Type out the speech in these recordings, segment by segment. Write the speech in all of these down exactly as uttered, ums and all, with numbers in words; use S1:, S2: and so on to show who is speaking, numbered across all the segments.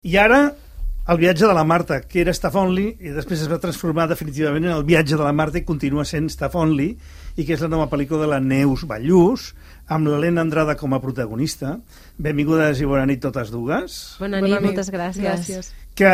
S1: I ara, el viatge de la Marta, que era Staff Only, i després es va transformar definitivament en el viatge de la Marta i continua sent Staff Only, i que és la nova pel·lícula de la Neus Ballús, amb l'Helena Andrada com a protagonista. Benvingudes i bona nit totes dues.
S2: Bona nit, bona nit. Moltes gràcies. gràcies.
S1: Que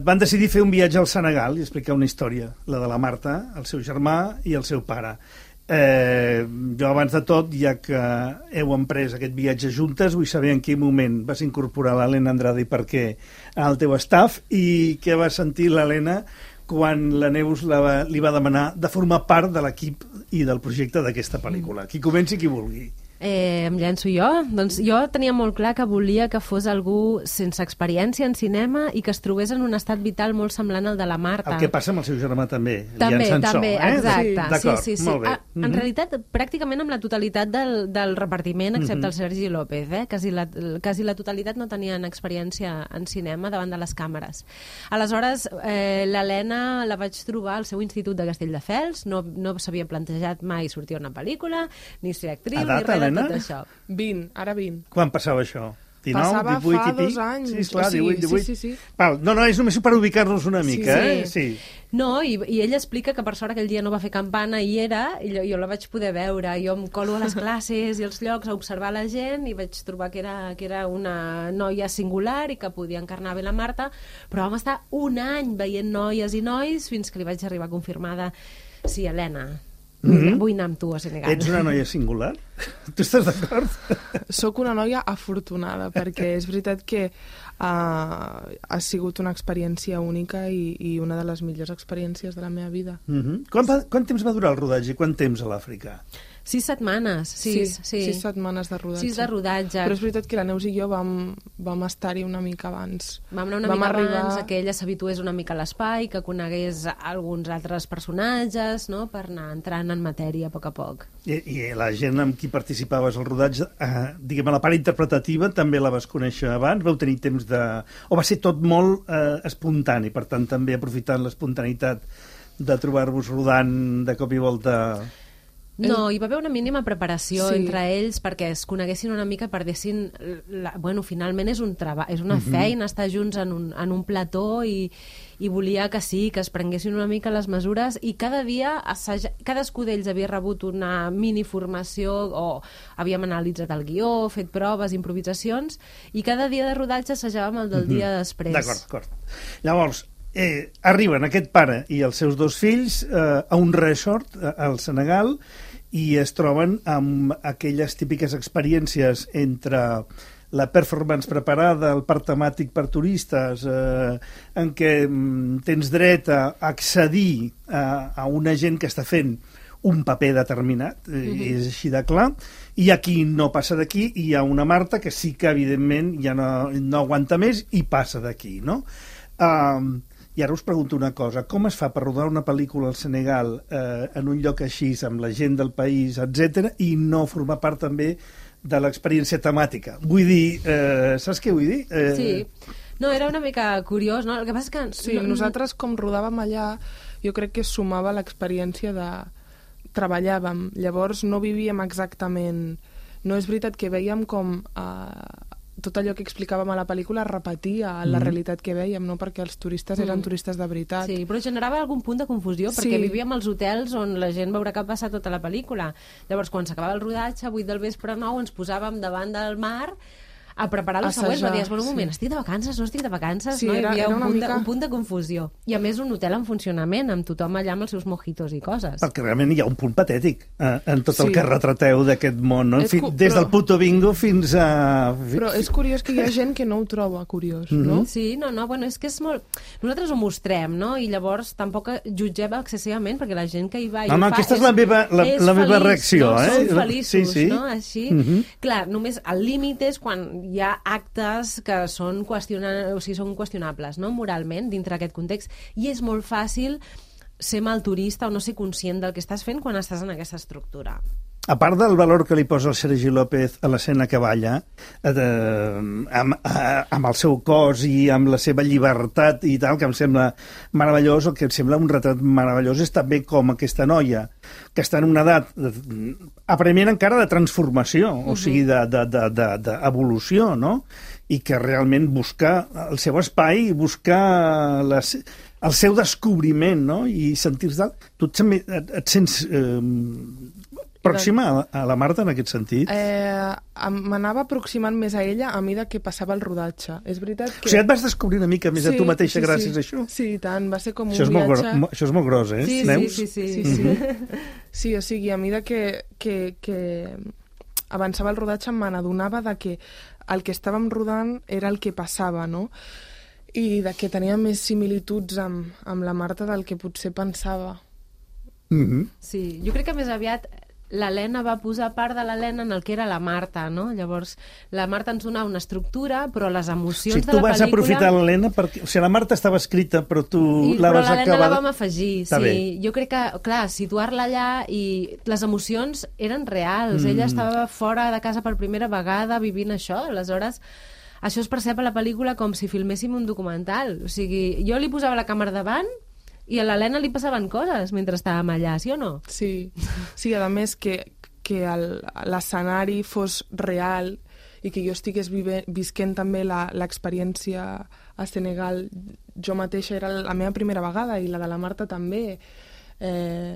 S1: van decidir fer un viatge al Senegal i explicar una història, la de la Marta, el seu germà i el seu pare. Eh, jo abans de tot, ja que heu emprès aquest viatge juntes, vull saber en quin moment vas incorporar l'Helena Andrada i per què al teu staff, i què va sentir l'Helena quan la Neus la va, li va demanar de formar part de l'equip i del projecte d'aquesta pel·lícula. Qui comenci, qui vulgui.
S2: Eh, em llenço jo? Doncs jo tenia molt clar que volia que fos algú sense experiència en cinema i que es trobés en un estat vital molt semblant al de la Marta.
S1: El que passa amb el seu germà també.
S2: També, també,
S1: eh?
S2: exacte.
S1: Sí,
S2: sí, sí, sí. Ah, en mm -hmm. realitat, pràcticament amb la totalitat del, del repartiment, excepte mm -hmm. el Sergi López, eh? Quasi la, quasi la totalitat no tenien experiència en cinema davant de les càmeres. Aleshores, eh, l'Helena la vaig trobar al seu institut de Castelldefels, no, no s'havia plantejat mai sortir a una pel·lícula, ni ser actriu,
S1: Edat,
S2: ni res
S1: Helena?
S2: de tot això.
S3: vint, ara vint.
S1: Quan passava això? dinou,
S3: Passava
S1: divuit
S3: fa
S1: i pic?
S3: dos anys.
S1: Sí, esclar,
S3: o sigui,
S1: divuit, divuit.
S3: Sí, sí, sí.
S1: Val, no, no, és només per ubicar-nos una mica,
S2: sí,
S1: eh?
S2: Sí. No, i, i ella explica que per sort aquell dia no va fer campana i era, i jo, jo la vaig poder veure. Jo em colo a les classes i als llocs a observar la gent i vaig trobar que era, que era una noia singular i que podia encarnar bé la Marta, però vam estar un any veient noies i nois fins que li vaig arribar confirmada. Sí, Helena, Vull, mm -hmm. vull anar amb tu a Senegal.
S1: Ets una noia singular? Tu estàs d'acord?
S3: Soc una noia afortunada, perquè és veritat que uh, ha sigut una experiència única i, i una de les millors experiències de la meva vida.
S1: Mm -hmm. Quant, va, quant temps va durar el rodatge i quant temps a l'Àfrica?
S2: Sis setmanes. Sis,
S3: sí,
S2: sí.
S3: sis setmanes de rodatge.
S2: Sis de rodatge.
S3: Però és veritat que la Neus i jo vam, vam estar-hi una mica abans.
S2: Vam anar una vam mica arribar... abans, que ella s'habitués una mica a l'espai, que conegués alguns altres personatges, no?, per anar entrant en matèria a poc a poc.
S1: I, i la gent amb qui participaves al rodatge, eh, diguem, a la part interpretativa també la vas conèixer abans? Vau tenir temps de... O va ser tot molt eh, espontani, per tant també aprofitant l'espontaneïtat de trobar-vos rodant de cop i volta...
S2: No, hi va haver una mínima preparació sí. entre ells perquè es coneguessin una mica, perdessin... La... Bueno, finalment és un treball, és una uh -huh. feina estar junts en un, en un plató i, i volia que sí, que es prenguessin una mica les mesures i cada dia assaja... cadascú d'ells havia rebut una mini formació o havíem analitzat el guió, fet proves, improvisacions i cada dia de rodatge assajàvem el del uh -huh. dia després.
S1: D'acord, d'acord. Llavors, eh, arriben aquest pare i els seus dos fills eh, a un resort al Senegal i es troben amb aquelles típiques experiències entre la performance preparada, el parc temàtic per turistes, eh, en què mm, tens dret a accedir a, a una gent que està fent un paper determinat, eh, mm-hmm. és així de clar, i aquí no passa d'aquí, i hi ha una Marta que sí que evidentment ja no, no aguanta més i passa d'aquí, no? Um, I ara us pregunto una cosa, com es fa per rodar una pel·lícula al Senegal eh, en un lloc així, amb la gent del país, etcètera, i no formar part també de l'experiència temàtica? Vull dir, eh, saps què vull dir? Eh...
S2: Sí, no, era una mica curiós, no? El que passa és que...
S3: Sí, no, nosaltres com rodàvem allà, jo crec que sumava l'experiència de... Treballàvem, llavors no vivíem exactament... No és veritat que veiem com... Eh... tot allò que explicàvem a la pel·lícula es repetia la mm. realitat que vèiem, no? Perquè els turistes eren mm. turistes de veritat.
S2: Sí, però generava algun punt de confusió,
S3: sí.
S2: perquè vivíem als hotels on la gent veurà que ha passat tota la pel·lícula. Llavors, quan s'acabava el rodatge, a vuit del vespre nou, ens posàvem davant del mar a preparar la següent, però dius, bueno, un moment, sí. estic de vacances, no estic de vacances?
S3: Sí,
S2: no? Hi havia
S3: era
S2: un, punt
S3: mica...
S2: de, un punt de confusió. I a més un hotel en funcionament, amb tothom allà amb els seus mojitos i coses.
S1: Perquè realment hi ha un punt patètic eh, en tot sí. el que retrateu d'aquest món, no? En fi,
S3: cu...
S1: des del puto bingo fins a...
S3: Però és curiós que hi ha gent que no ho troba curiós,
S1: mm -hmm.
S3: no?
S2: Sí, no, no, bueno, és que és molt... Nosaltres ho mostrem, no? I llavors tampoc jutgem excessivament, perquè la gent que hi va i
S1: no, no,
S2: ho fa...
S1: aquesta és, és la meva, la,
S2: és
S1: la meva
S2: feliç,
S1: reacció,
S2: no?
S1: eh?
S2: Som feliços,
S1: sí, sí.
S2: no? Així,
S1: mm -hmm.
S2: clar, només el límit és quan hi ha actes que són, qüestiona... o sigui, són qüestionables, no? Moralment, dintre aquest context, i és molt fàcil ser mal turista o no ser conscient del que estàs fent quan estàs en aquesta estructura.
S1: A part del valor que li posa el Sergi López a l'escena que balla, eh, amb, eh, amb el seu cos i amb la seva llibertat i tal, que em sembla meravellós, el que em sembla un retrat meravellós és també com aquesta noia, que està en una edat apremiant encara de transformació, uh-huh. o sigui, d'evolució, no? i que realment buscar el seu espai, buscar les, el seu descobriment, no? I sentir-se... Tu et, et, et sents eh, pròxima a, a la Marta en aquest sentit?
S3: Eh, M'anava aproximant més a ella a mesura que passava el rodatge. És veritat que...
S1: O sigui, et vas descobrir una mica més sí, a tu mateixa sí, gràcies
S3: sí.
S1: a això?
S3: Sí, tant. Va ser com
S1: això
S3: un viatge...
S1: Molt, això és molt gros, eh?
S2: Sí,
S1: Neus?
S2: sí, sí. Sí,
S3: sí. sí. Mm-hmm. sí, o sigui, a mesura que, que, que avançava el rodatge me n'adonava de que el que estàvem rodant era el que passava, no? I de que tenia més similituds amb, amb la Marta del que potser pensava.
S1: Mm-hmm.
S2: Sí, jo crec que més aviat l'Helena va posar part de l'Helena en el que era la Marta, no? Llavors, la Marta ens donava una estructura, però les emocions
S1: o sigui,
S2: de la pel·lícula...
S1: tu vas aprofitar l'Helena perquè... O sigui, la Marta estava escrita, però tu
S2: I,
S1: la vas acabar...
S2: Però l'Helena la vam afegir,
S1: Està
S2: sí.
S1: Bé.
S2: Jo crec que, clar, situar-la allà i les emocions eren reals. Mm. Ella estava fora de casa per primera vegada vivint això, aleshores... Això es percep a la pel·lícula com si filméssim un documental. O sigui, jo li posava la càmera davant i a l'Helena li passaven coses mentre estàvem allà, sí o no?
S3: Sí, sí, a més que, que l'escenari fos real i que jo estigués vive, visquent també l'experiència a Senegal. Jo mateixa era la meva primera vegada i la de la Marta també. Eh,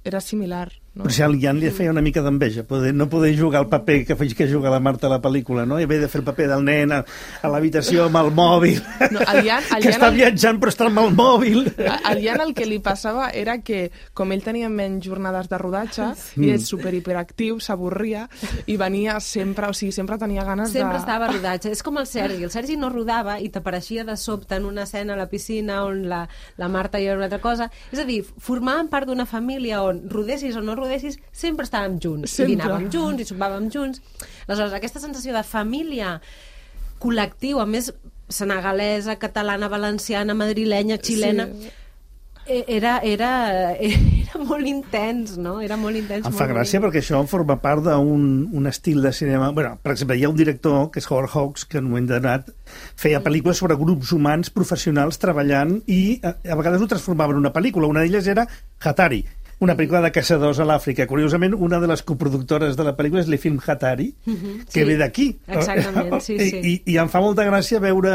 S3: era similar. No?
S1: Però si al Jan li feia una mica d'enveja, poder, no poder jugar el paper que feia que juga la Marta a la pel·lícula, no? I haver de fer el paper del nen a, a l'habitació amb el mòbil,
S3: no, el Jan, el
S1: que
S3: Jan,
S1: està viatjant però està amb el mòbil.
S3: Al Jan el que li passava era que, com ell tenia menys jornades de rodatge, mm. i és super hiperactiu, s'avorria, i venia sempre, o sigui, sempre tenia ganes
S2: sempre de... Sempre estava a rodatge. És com el Sergi. El Sergi no rodava i t'apareixia de sobte en una escena a la piscina on la, la Marta hi era una altra cosa. És a dir, formaven part d'una família on rodessis o no rodessis, sempre estàvem junts, sempre. I dinàvem junts, i sopàvem junts. Aleshores, aquesta sensació de família col·lectiu, a més senegalesa, catalana, valenciana, madrilenya, xilena, sí. era, era, era molt intens, no? Era molt intens.
S1: Em
S2: molt
S1: fa gràcia
S2: molt...
S1: perquè això forma part d'un un estil de cinema... Bueno, per exemple, hi ha un director, que és Howard Hawks, que en un moment donat feia pel·lícules sobre grups humans professionals treballant i a, a vegades ho transformava en una pel·lícula. Una d'elles era Hatari, una pel·lícula de caçadors a l'Àfrica. Curiosament, una de les coproductores de la pel·lícula és l'E-Film Hatari, uh-huh, que sí, ve d'aquí.
S2: Exactament, sí, sí.
S1: I, I em fa molta gràcia veure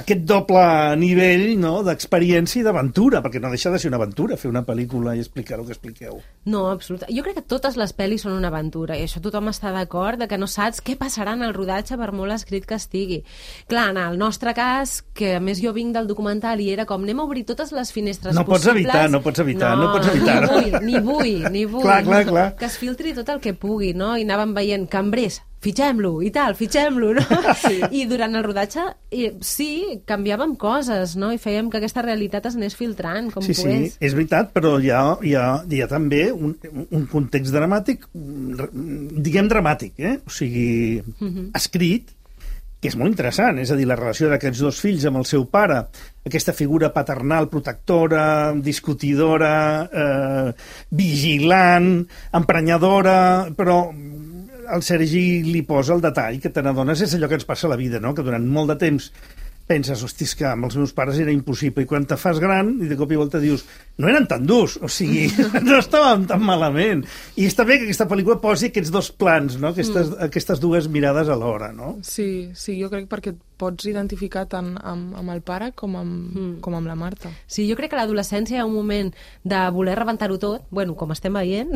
S1: aquest doble nivell, no?, d'experiència i d'aventura, perquè no deixa de ser una aventura fer una pel·lícula i explicar el que expliqueu.
S2: No, absolutament. Jo crec que totes les pel·lis són una aventura, i això tothom està d'acord, de que no saps què passarà en el rodatge per molt escrit que estigui. Clar, en el nostre cas, que a més jo vinc del documental i era com anem a obrir totes les finestres
S1: no
S2: possibles...
S1: Pots evitar, no pots evitar, no, no pots evitar.
S2: Ni vull, ni vull, ni vull.
S1: Clar, clar, clar.
S2: Que es filtri tot el que pugui, no? I anàvem veient cambrers, fitxem-lo i tal, fitxem-lo, no? Sí. I durant el rodatge, i, sí, canviàvem coses, no? I fèiem que aquesta realitat es anés filtrant, com
S1: sí,
S2: pogués.
S1: Sí, és veritat, però hi ha, hi ha, hi ha també un, un context dramàtic, diguem dramàtic, eh? O sigui, uh-huh. escrit, que és molt interessant, és a dir, la relació d'aquests dos fills amb el seu pare, aquesta figura paternal, protectora, discutidora, eh, vigilant, emprenyadora, però el Sergi li posa el detall que te n'adones, és allò que ens passa a la vida, no?, que durant molt de temps penses, hosti, que amb els meus pares era impossible, i quan te fas gran i de cop i volta dius, no eren tan durs, o sigui, no estàvem tan malament. I està bé que aquesta pel·lícula posi aquests dos plans, no?, aquestes, mm. aquestes dues mirades alhora, no?
S3: Sí, sí, jo crec perquè et pots identificar tant amb, amb el pare com amb, mm. com amb la Marta.
S2: Sí, jo crec que a l'adolescència hi ha un moment de voler rebentar-ho tot, bueno, com estem veient,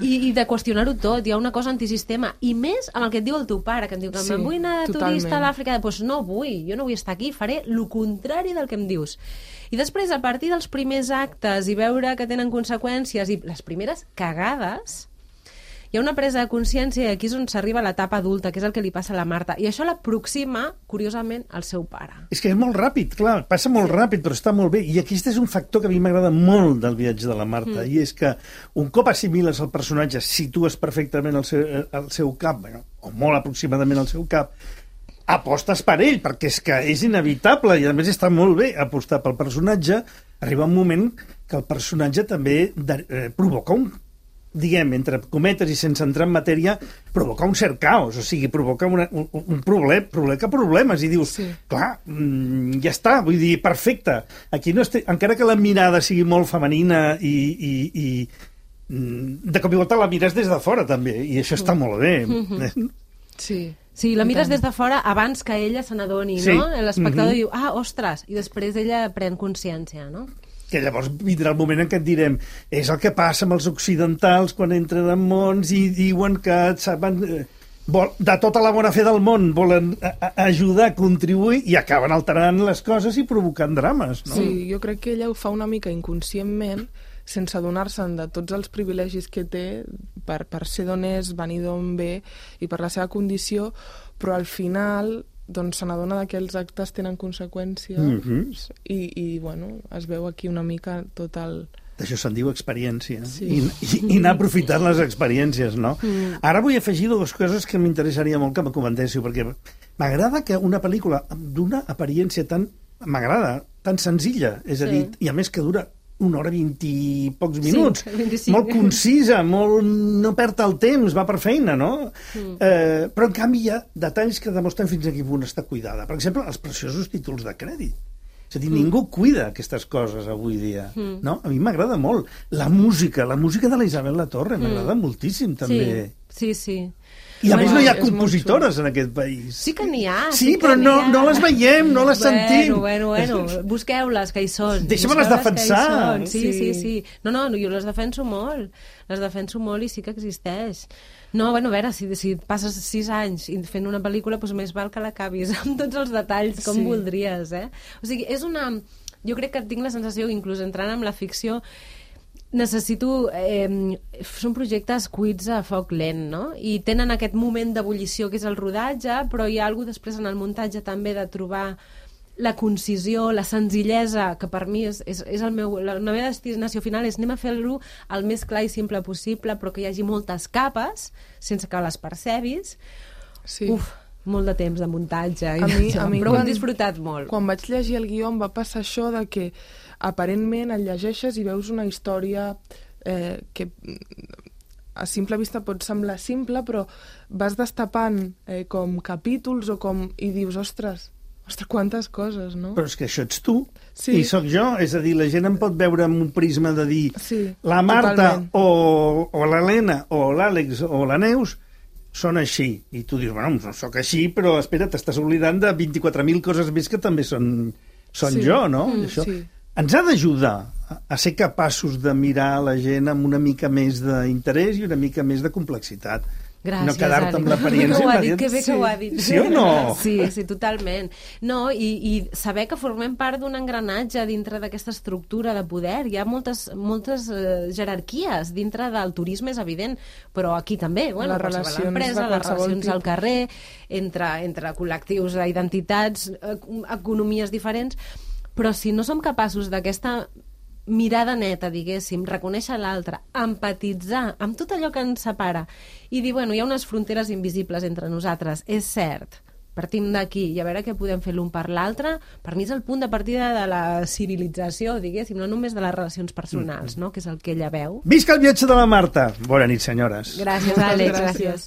S2: i, i de qüestionar-ho tot. Hi ha una cosa antisistema, i més amb el que et diu el teu pare, que em diu que sí, me'n vull anar de totalment. Turista a l'Àfrica, doncs no vull, jo no vull estar aquí, faré el contrari del que em dius. I després, a partir dels primers actes i veure que tenen conseqüències i les primeres cagades, hi ha una presa de consciència i aquí és on s'arriba a l'etapa adulta, que és el que li passa a la Marta. I això l'aproxima, curiosament, al seu pare.
S1: És que és molt ràpid, clar, passa molt sí. ràpid, però està molt bé. I aquest és un factor que a mi m'agrada molt del viatge de la Marta, mm. i és que un cop assimiles el personatge, situes perfectament el seu, el seu cap, bueno, o molt aproximadament el seu cap, apostes per ell, perquè és que és inevitable, i a més està molt bé apostar pel personatge. Arriba un moment que el personatge també de, eh, provoca un, diguem, entre cometes i sense entrar en matèria, provoca un cert caos, o sigui, provoca una, un, un problem, provoca problemes, i dius, sí. clar, mm, ja està, vull dir, perfecte. Aquí no estic, encara que la mirada sigui molt femenina i, i, i de cop i volta la mires des de fora, també, i això està molt bé.
S3: Sí.
S2: Sí, la mires des de fora abans que ella se n'adoni,
S1: sí.
S2: no? L'espectador
S1: mm-hmm.
S2: diu, ah, ostres, i després ella pren consciència, no?
S1: Que llavors vindrà el moment en què et direm és el que passa amb els occidentals quan entren en mons i diuen que saben, de tota la bona fe del món volen ajudar, contribuir i acaben alterant les coses i provocant drames, no?
S3: Sí, jo crec que ella ho fa una mica inconscientment, sense adonar-se'n de tots els privilegis que té per, per ser d'on és, venir d'on ve i per la seva condició, però al final doncs se n'adona que els actes tenen conseqüències mm-hmm. i, i bueno, es veu aquí una mica tot el...
S1: D'això se'n diu experiència.
S3: Sí.
S1: I, i, I anar aprofitant les experiències, no? Mm. Ara vull afegir dues coses que m'interessaria molt que me comentéssiu, perquè m'agrada que una pel·lícula d'una apariència tan... m'agrada, tan senzilla, és a dir, sí. i a més que dura una hora vint i pocs minuts,
S2: sí, vint-i-cinc.
S1: Molt concisa, molt... no perd el temps, va per feina, no? Mm. Eh, però, en canvi, hi ha detalls que demostren fins a quin punt està cuidada. Per exemple, els preciosos títols de crèdit. És a dir, mm. ningú cuida aquestes coses avui dia, mm. no? A mi m'agrada molt. La música, la música de la Isabel Latorre, mm. m'agrada moltíssim, també.
S2: Sí, sí, sí.
S1: I a bueno, més no hi ha compositores en aquest país.
S2: Sí que n'hi ha.
S1: Sí,
S2: sí
S1: però no,
S2: ha.
S1: no les veiem, no les
S2: bueno,
S1: sentim.
S2: Bueno, bueno, busqueu-les, que hi són.
S1: Deixa'm-les defensar.
S2: Sí, sí, sí, sí. No, no, jo les defenso molt. Les defenso molt i sí que existeix. No, bueno, a veure, si, si passes sis anys fent una pel·lícula, doncs més val que l'acabis amb tots els detalls com sí. voldries, eh? O sigui, és una... Jo crec que tinc la sensació, inclús entrant en la ficció, necessito... Eh, són projectes cuits a foc lent, no? I tenen aquest moment d'ebullició que és el rodatge, però hi ha alguna cosa després en el muntatge també de trobar la concisió, la senzillesa, que per mi és, és, és el meu... La, la meva destinació final és anem a fer-lo el més clar i simple possible, però que hi hagi moltes capes, sense que les percebis.
S3: Sí.
S2: Uf, molt de temps de muntatge.
S3: A mi, a mi
S2: però
S3: quan,
S2: ho he disfrutat molt.
S3: Quan vaig llegir el guió em va passar això de que aparentment el llegeixes i veus una història eh, que a simple vista pot semblar simple, però vas destapant eh, com capítols o com... i dius, ostres, ostres, quantes coses, no?
S1: Però és que això ets tu,
S3: sí.
S1: i sóc jo, és a dir, la gent em pot veure amb un prisma de dir
S3: sí,
S1: la Marta
S3: totalment.
S1: o, o l'Helena o l'Àlex o la Neus són així, i tu dius, bueno, no sóc així, però espera, t'estàs oblidant de vint-i-quatre mil coses més que també són, són
S3: sí.
S1: jo, no?
S3: Mm,
S1: això
S3: sí.
S1: ens ha d'ajudar a ser capaços de mirar la gent amb una mica més d'interès i una mica més de complexitat.
S2: Gràcies,
S1: no quedar-te amb l'apariència.
S2: Que ho ha dit, que bé
S1: sí.
S2: que ho ha dit.
S1: Sí o no?
S2: Sí, sí, totalment. No, i, i saber que formem part d'un engranatge dintre d'aquesta estructura de poder. Hi ha moltes, moltes uh, jerarquies dintre del turisme, és evident, però aquí també, bueno,
S3: les relacions
S2: empresa, les relacions al carrer, entre, entre col·lectius d'identitats, economies diferents, però si no som capaços d'aquesta mirada neta, diguéssim, reconèixer l'altre, empatitzar amb tot allò que ens separa i dir, bueno, hi ha unes fronteres invisibles entre nosaltres, és cert, partim d'aquí i a veure què podem fer l'un per l'altre, per mi és el punt de partida de la civilització, diguéssim, no només de les relacions personals, no? Que és el que ella veu.
S1: Visca el viatge de la Marta! Bona nit, senyores.
S2: Gràcies, Àlex, gràcies.